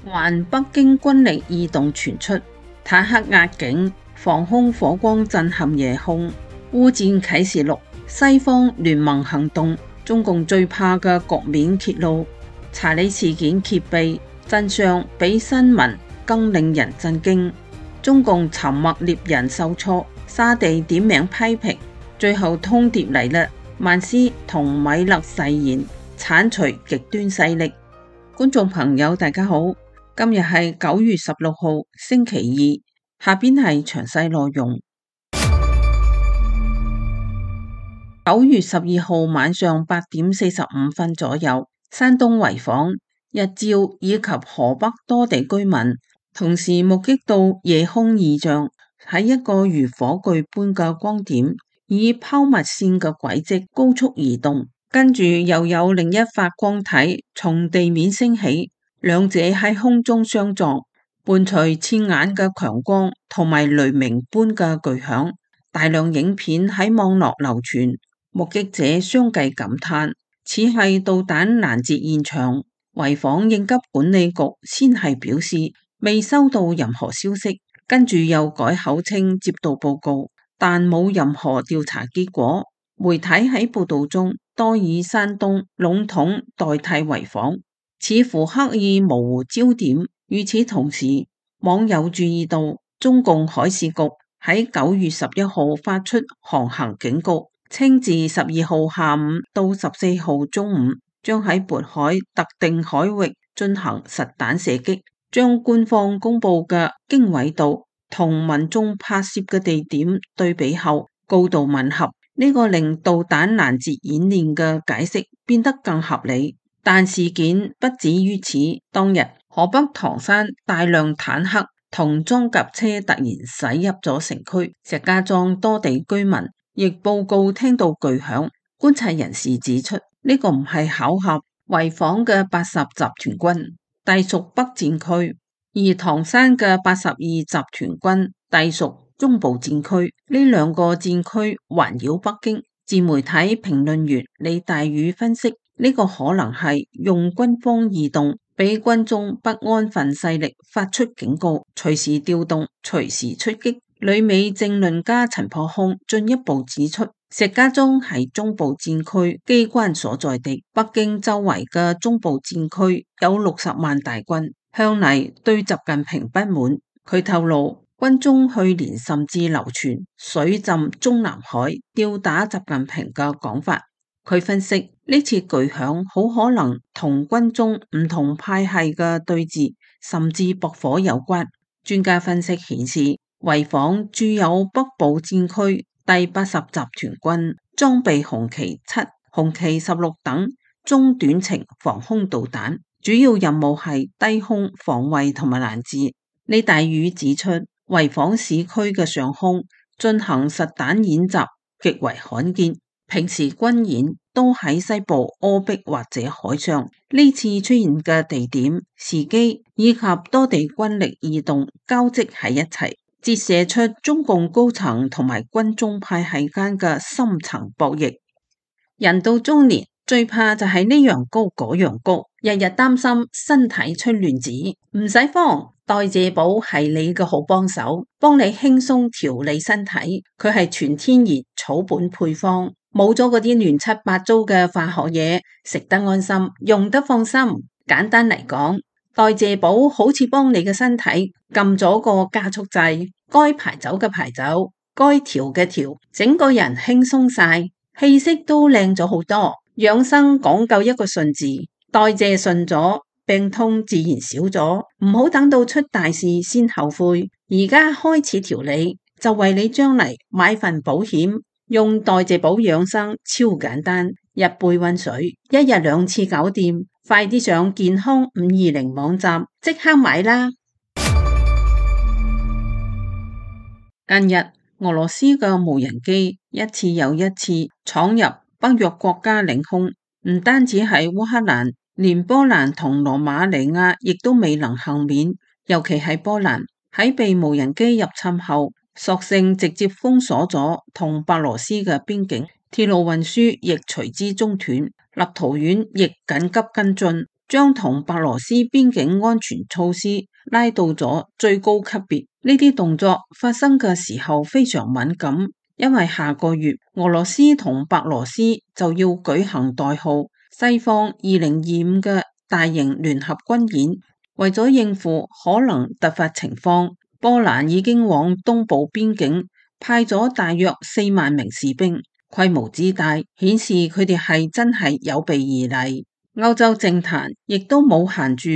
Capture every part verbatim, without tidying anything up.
還北京軍力異動傳出，坦克壓境，防空火光震撼夜空。烏戰啟示錄，西方聯盟行動，中共最怕嘅局面揭露。查理事件揭秘，真相比新聞更令人震驚。中共沉默獵人受挫，沙地點名批評，最後通牒嚟啦。曼斯同米勒誓言剷除極端勢力。觀眾朋友大家好，今日係九月十六號星期二，下邊係詳細內容。九月十二號晚上八點四十五分左右，山東濰坊、日照以及河北多地居民同時目擊到夜空異象，喺一個如火炬般嘅光點，以拋物線嘅軌跡高速移動，跟住又有另一發光體從地面升起，兩者喺空中相撞，伴隨刺眼嘅強光同埋雷鳴般嘅巨響，大量影片喺網絡流傳，目擊者相繼感嘆，似係導彈攔截現場。濰坊應急管理局先係表示未收到任何消息，跟住又改口稱接到報告，但冇任何調查結果。媒體喺報道中多以山東籠統代替濰坊，似乎刻意模糊焦點。與此同時，網友注意到中共海事局喺九月十一號發出航行警告，稱自十二號下午到十四號中午將喺渤海特定海域進行實彈射擊，將官方公布嘅經緯度同民眾拍攝嘅地點對比後高度吻合，呢、這個令導彈攔截演練嘅解釋變得更合理。但事件不止於此，當日河北唐山大量坦克同裝甲車突然駛入咗城區，石家莊多地居民亦報告聽到巨響。觀察人士指出，呢、這個唔係巧合，濰坊嘅八十集團軍隸屬北戰區，而唐山嘅八十二集團軍隸屬中部戰區，呢兩個戰區環繞北京。自媒體評論員李大宇分析，呢、這個可能係用軍方異動俾軍中不安分勢力發出警告，隨時調動，隨時出擊。旅美政論家陳破空進一步指出，石家莊係中部戰區機關所在地，北京周圍嘅中部戰區有六十萬大軍，向嚟對習近平不滿。佢透露，軍中去年甚至流傳水浸中南海、吊打習近平嘅講法。佢分析，呢次巨響好可能同軍中唔同派系嘅對峙甚至駁火有關。專家分析顯示，濰坊駐有北部戰區第八十集團軍，裝備紅旗七、紅旗十六等中短程防空導彈，主要任務係低空防衛同埋攔截。李大宇指出，濰坊市區嘅上空進行實彈演習極為罕見，平時軍演都喺西部戈壁或者海上，呢次出現嘅地點、時機以及多地軍力異動交織喺一齊，折射出中共高層同埋軍中派系間嘅深層博弈。人到中年最怕就係呢樣高嗰樣高，日日擔心身體出亂子。唔使慌，代謝寶係你嘅好幫手，幫你輕鬆調理身體。佢係全天然草本配方，冇咗嗰啲亂七八糟嘅化學嘢，食得安心，用得放心。簡單嚟講，代謝寶好似幫你嘅身體撳咗個加速掣，該排走嘅排走，該調嘅調，整個人輕鬆晒，氣色都靚咗好多。養生講究一個順字，代謝順咗，病痛自然少咗。唔好等到出大事先後悔，而家開始調理，就為你將嚟買份保險。用代謝寶養生超簡單，一杯溫水，一日兩次搞掂。快啲上健康五二零網站即刻買啦！近日俄羅斯嘅無人機一次又一次闖入北約國家領空，唔單止係烏克蘭，連波蘭同羅馬尼亞亦都未能幸免。尤其係波蘭喺被無人機入侵後，索性直接封鎖咗同白羅斯嘅邊境，鐵路運輸亦隨之中斷。立陶宛亦緊急跟進，將同白羅斯邊境安全措施拉到咗最高級別。呢啲動作發生嘅時候非常敏感，因為下個月俄羅斯同白羅斯就要舉行代號西方二零二五嘅大型聯合軍演。為咗應付可能突發情況，波蘭已經往東部邊境派咗大約四萬名士兵，規模之大顯示佢哋係真係有備而嚟。歐洲政壇亦都冇限住，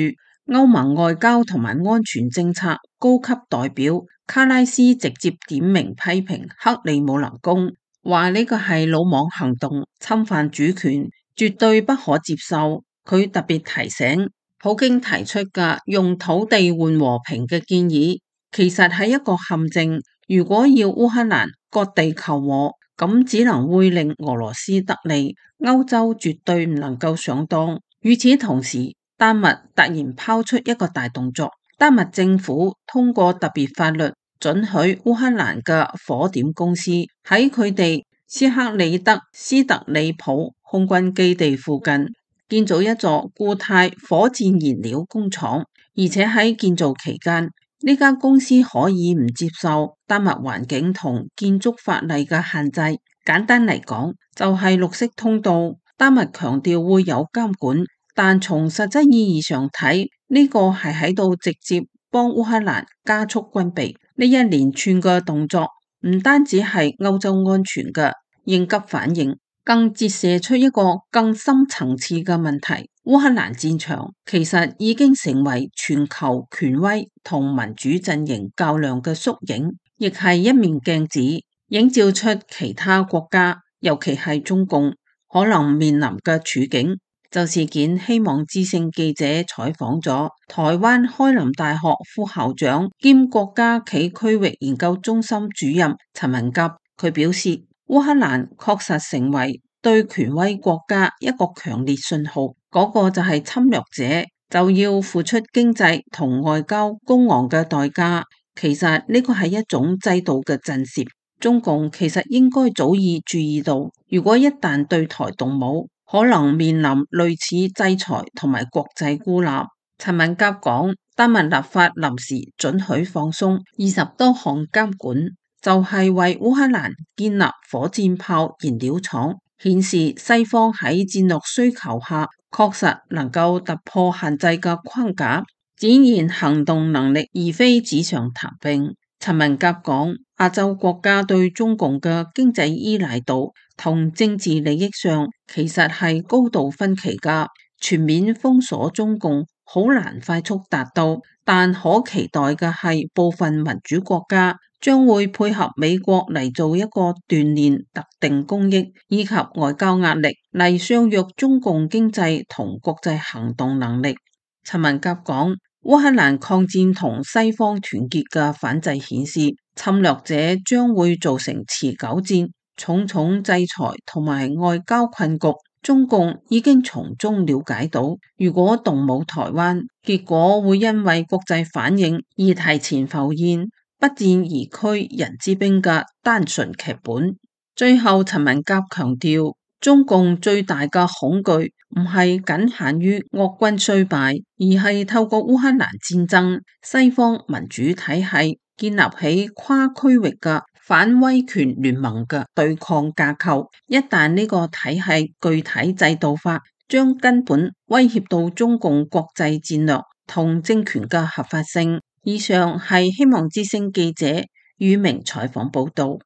歐盟外交同埋安全政策高級代表卡拉斯直接點名批評克里姆林宮，話呢個係魯莽行動，侵犯主權，絕對不可接受。佢特別提醒，普京提出嘅用土地換和平嘅建議，其實係一個陷阱。如果要烏克蘭割地求和，咁只能會令俄羅斯得利，歐洲絕對唔能夠上當。與此同時，丹麥突然拋出一個大動作，丹麥政府通過特別法律，准許烏克蘭嘅火點公司喺佢哋斯克里德斯特里普空軍基地附近建造一座固態火箭燃料工廠，而且喺建造期間，呢間公司可以唔接受丹麥環境同建築法例嘅限制。簡單嚟講，就係綠色通道。丹麥強調會有監管，但從實質意義上睇，呢個係喺度直接幫烏克蘭加速軍備。呢一連串嘅動作唔單止係歐洲安全嘅應急反應，更折射出一個更深層次嘅問題。烏克蘭戰場其實已經成為全球權威同民主陣營較量嘅縮影，亦係一面鏡子，映照出其他國家，尤其係中共可能面臨嘅處境。就事件，希望之聲記者採訪咗台灣開林大學副校長兼國家暨區域研究中心主任陳文吉，佢表示，烏克蘭確實成為對權威國家一個強烈信號，嗰個就係侵略者就要付出經濟同外交高昂嘅代價。其實呢個係一種制度嘅震懾，中共其實應該早已注意到，如果一旦對台動武，可能面臨類似制裁同埋國際孤立。陳文甲講，丹麥立法臨時准許放鬆二十多項監管，就係為烏克蘭建立火箭炮燃料廠，顯示西方喺戰略需求下確實能夠突破限制嘅框架，展現行動能力，而非紙上談兵。陳文甲講，亞洲國家對中共嘅經濟依賴度同政治利益上其實係高度分歧㗎，全面封鎖中共好難快速達到，但可期待嘅係部分民主國家將會配合美國嚟做一個鍛鍊特定公益以及外交壓力嚟削弱中共經濟同國際行動能力。陳文甲講，烏克蘭抗戰同西方團結嘅反制顯示，侵略者將會造成持久戰、重重制裁同埋外交困局。中共已經從中了解到，如果動武台灣，結果會因為國際反應而提前浮現不戰而屈人之兵嘅單純劇本。最後，陳文甲強調，中共最大嘅恐懼唔係僅限於俄軍衰敗，而係透過烏克蘭戰爭，西方民主體系建立起跨區域嘅反威權聯盟嘅對抗架構。一旦呢個體系具體制度化，將根本威脅到中共國際戰略同政權嘅合法性。以上係希望之聲記者宇明採訪報道。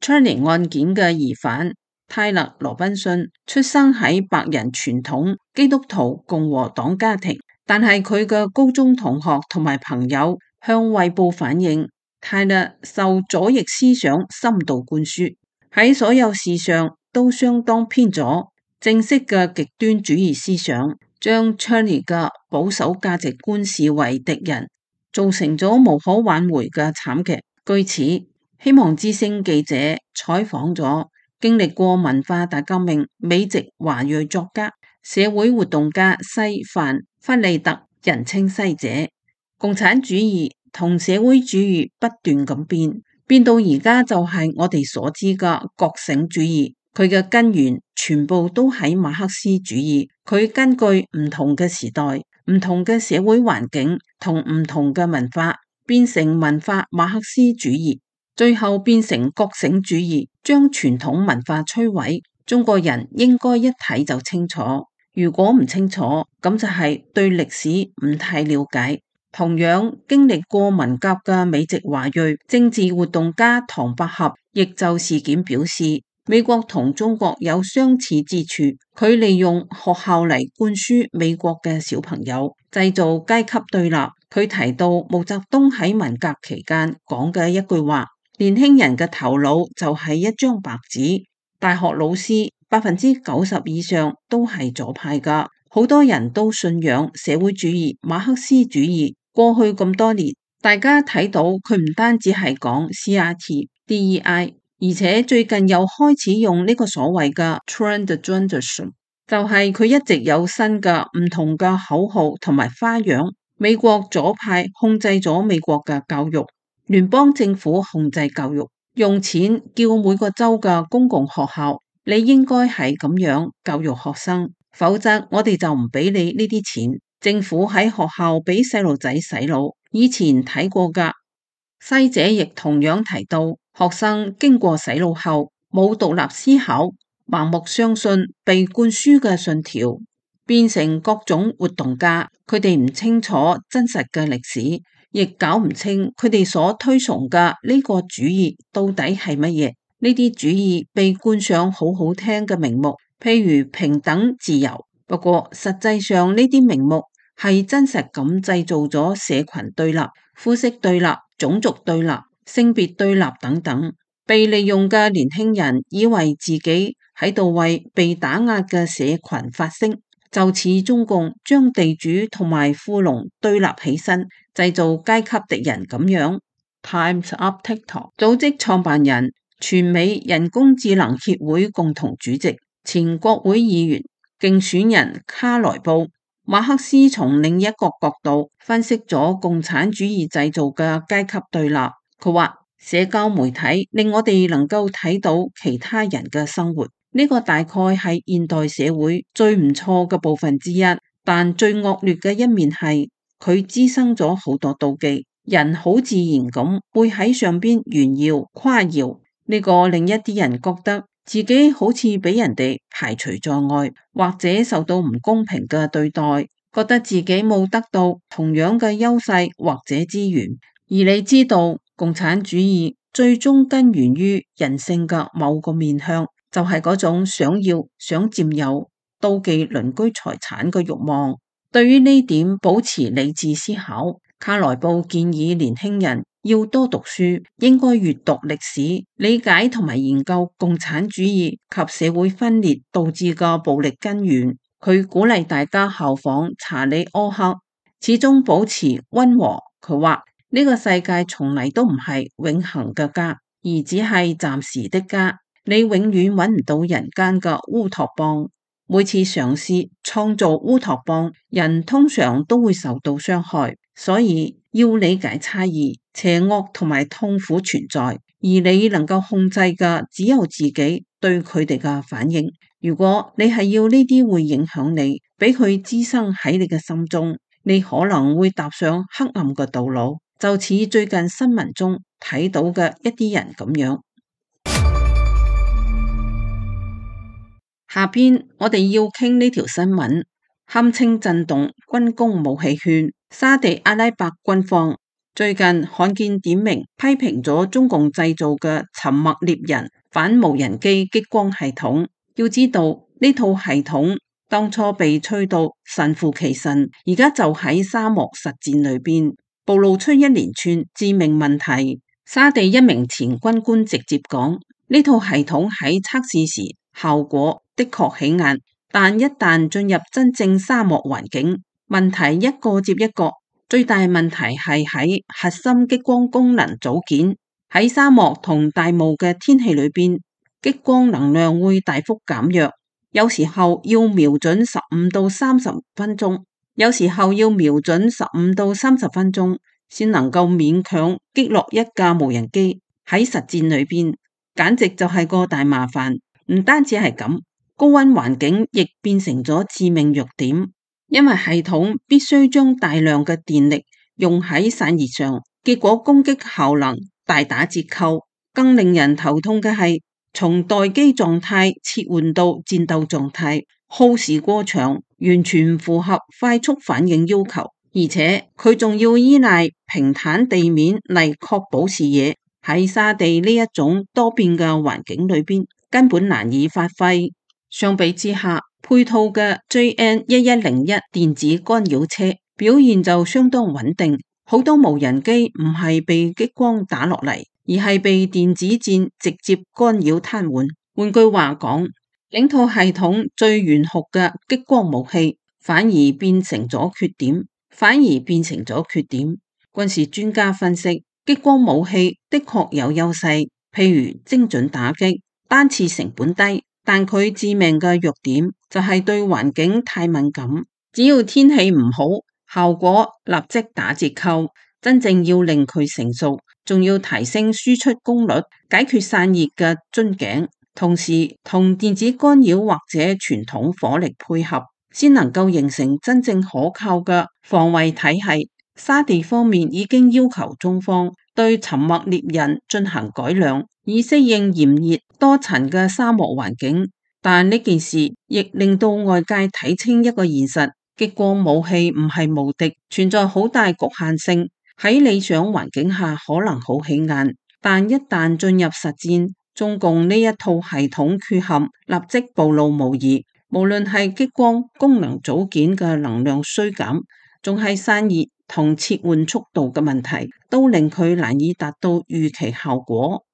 Charlie 案件嘅疑犯泰勒羅賓遜出生喺白人傳統基督徒共和黨家庭，但係佢嘅高中同學同埋朋友向衛報反映，泰勒受左翼思想深度灌輸，喺所有事上都相當偏左，正式嘅極端主義思想將 Charlie 嘅保守價值觀視為敵人，造成咗無可挽回嘅慘劇。據此，希望之聲記者採訪咗經歷過文化大革命美籍華裔作家、社會活動家西范弗利特，人稱西姐。共產主義同社會主義不斷咁變，變到而家就係我哋所知嘅覺醒主義。佢嘅根源全部都喺馬克思主義。佢根據唔同嘅時代、唔同嘅社會環境同唔同嘅文化，變成文化馬克思主義，最後變成覺醒主義，將傳統文化摧毀。中國人應該一睇就清楚，如果唔清楚，咁就係對歷史唔太了解。同樣經歷過文革嘅美籍華裔政治活動家唐百合，亦就事件表示，美國同中國有相似之處，佢利用學校嚟灌輸美國嘅小朋友，製造階級對立。佢提到毛澤東喺文革期間講嘅一句話：年輕人嘅頭腦就係一張白紙。大學老師百分之九十以上都係左派噶，好多人都信仰社會主義、馬克思主義。過去咁多年，大家睇到佢唔單止係講 C R T、D E I， 而且最近又開始用呢個所謂嘅 Transgenderism， 就係佢一直有新嘅唔同嘅口號同埋花樣。美國左派控制咗美國嘅教育，聯邦政府控制教育，用錢叫每個州嘅公共學校，你應該係咁樣教育學生，否則我哋就唔俾你呢啲錢。政府喺學校俾細路仔洗腦，以前睇過噶。西姐亦同樣提到，學生經過洗腦後冇獨立思考，盲目相信被灌輸嘅信條，變成各種活動家。佢哋唔清楚真實嘅歷史，亦搞唔清佢哋所推崇嘅呢個主義到底係乜嘢。呢啲主義被冠上好好聽嘅名目，譬如平等、自由，不過實際上呢啲名目係真實咁製造咗社群對立、膚色對立、種族對立、性別對立等等。被利用嘅年輕人以為自己喺度為被打壓嘅社群發聲，就似中共將地主同埋富農對立起身，製造階級敵人咁樣。Times Up TikTok 組織創辦人、全美人工智能協會共同主席、前國會議員、競選人卡萊布。馬克思從另一個角度分析咗共產主義製造嘅階級對立。佢話社交媒體令我哋能夠睇到其他人嘅生活，呢個大概係現代社會最唔錯嘅部分之一，但最惡劣嘅一面係佢滋生咗好多妒忌，人好自然咁會喺上邊炫耀誇耀，呢個令一啲人覺得自己好似俾人哋排除在外，或者受到唔公平嘅對待，覺得自己冇得到同樣嘅優勢或者資源。而你知道，共產主義最終根源於人性嘅某個面向，就係嗰種想要、想佔有、妒忌鄰居財產嘅慾望。對於呢點保持理智思考，卡萊布建議年輕人要多讀書，應該閱讀歷史，理解同埋研究共產主義及社會分裂導致嘅暴力根源。佢鼓勵大家效仿查理柯克，始終保持溫和。佢話呢個世界從嚟都唔係永恆嘅家，而只係暫時的家。你永遠揾唔到人間嘅烏托邦。每次嘗試創造烏托邦，人通常都會受到傷害，所以要理解差異、邪惡同埋痛苦存在，而你能夠控制嘅只有自己對佢哋嘅反應。如果你係要呢啲會影響你，俾佢滋生喺你嘅心中，你可能會踏上黑暗嘅道路，就似最近新聞中睇到嘅一啲人咁樣。下邊我哋要傾呢條新聞，堪稱震動軍工武器圈。沙地阿拉伯軍方最近罕見點名批評咗中共製造嘅沉默獵人反無人機激光系統。要知道呢套系統當初被吹到神乎其神，而家就喺沙漠實戰裏邊暴露出一連串致命問題。沙地一名前軍官直接講，呢套系統喺測試時效果的確起眼，但一旦進入真正沙漠環境，問題一個接一個。最大問題係喺核心激光功能組件。喺沙漠同大霧嘅天氣裏邊，激光能量會大幅減弱，有時候要瞄準十五到三十分鐘，有時候要瞄準十五到三十分鐘，先能夠勉強擊落一架無人機。喺實戰裏邊，簡直就係個大麻煩。唔單止係咁，高溫環境亦變成咗致命弱點，因為系統必須將大量嘅電力用喺散熱上，結果攻擊效能大打折扣。更令人頭痛嘅係，從待機狀態切換到戰鬥狀態，耗時過長，完全唔符合快速反應要求。而且佢仲要依賴平坦地面嚟確保視野，喺沙地呢一種多變嘅環境裏邊，根本難以發揮。相比之下，配套嘅 J N 一一零一電子干擾車表現就相當穩定，好多無人機唔係被激光打落嚟，而係被電子戰直接干擾癱瘓。換句話講，整套系統最炫酷嘅激光武器反而變成咗缺點，反而變成咗缺點。軍事專家分析，激光武器的確有優勢，譬如精準打擊、單次成本低，但佢致命嘅弱點就係對環境太敏感，只要天氣唔好，效果立即打折扣。真正要令佢成熟，仲要提升輸出功率，解決散熱嘅樽頸，同時同電子干擾或者傳統火力配合，先能夠形成真正可靠嘅防衛體系。沙地方面已經要求中方對沉默獵人進行改良，以適應炎熱多塵嘅沙漠環境。但呢件事亦令到外界睇清一個現實，激光武器唔係無敵，存在好大局限性。喺理想環境下可能好起眼，但一旦進入實戰，中共呢一套系統缺陷立即暴露無遺。無論係激光功能組件嘅能量衰減，仲係散熱同切換速度嘅問題，都令佢難以達到預期效果。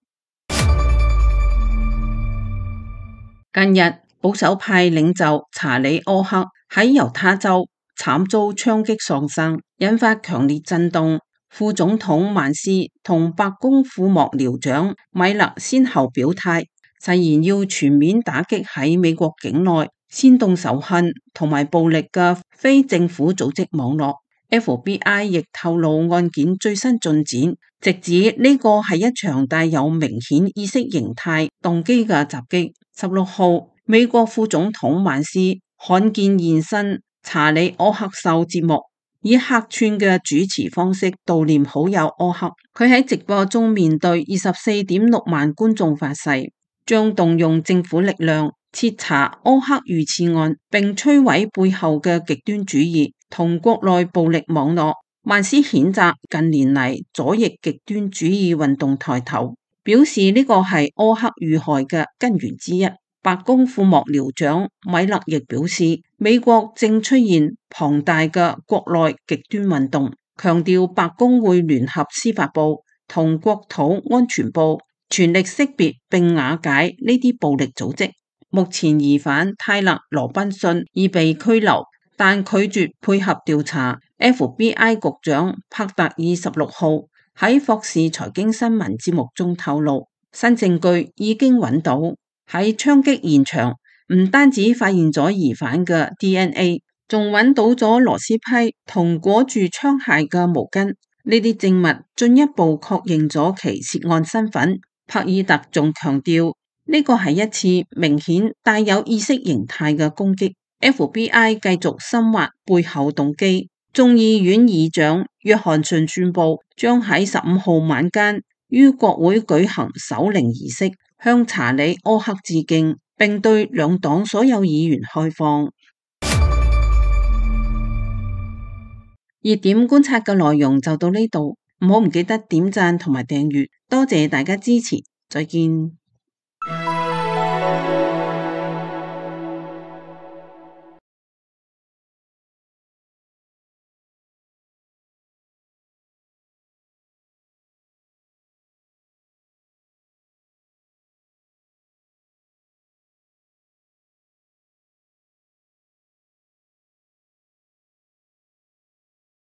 近日，保守派領袖查理柯克喺猶他州慘遭槍擊喪生，引發強烈震動。副總統曼斯同白宮副幕僚長米勒先後表態，誓言要全面打擊喺美國境內煽動仇恨同埋暴力嘅非政府組織網絡。F B I 亦透露案件最新進展，直指呢個係一場帶有明顯意識形態動機嘅襲擊。十六號，美國副總統曼斯罕見現身查理柯克秀節目，以客串嘅主持方式悼念好友柯克。佢喺直播中面對二十四點六萬觀眾發誓，將動用政府力量徹查柯克遇刺案，並摧毀背後嘅極端主義同國內暴力網絡。曼斯譴責近年嚟左翼極端主義運動抬頭，表示呢個係柯克遇害嘅根源之一。白宮副幕僚長米勒亦表示，美國正出現龐大嘅國內極端運動，強調白宮會聯合司法部同國土安全部全力識別並瓦解呢啲暴力組織。目前疑犯泰勒羅賓遜已被拘留，但拒絕配合調查。F B I 局長帕特爾十六號喺霍士財經新聞節目中透露，新證據已經揾到。喺槍擊現場，唔單止發現咗疑犯嘅 D N A， 仲揾到咗螺絲批同裹住槍械嘅毛巾。呢啲證物進一步確認咗其涉案身份。帕爾特仲強調，呢個係一次明顯帶有意識形態嘅攻擊。F B I 繼續深挖背後動機。眾議院議長約翰遜宣布，將喺十五號晚間於國會舉行守靈儀式，向查理柯克致敬，並對兩黨所有議員開放。熱點觀察嘅內容就到呢度，唔好唔記得點讚同埋訂閱，多謝大家支持，再見。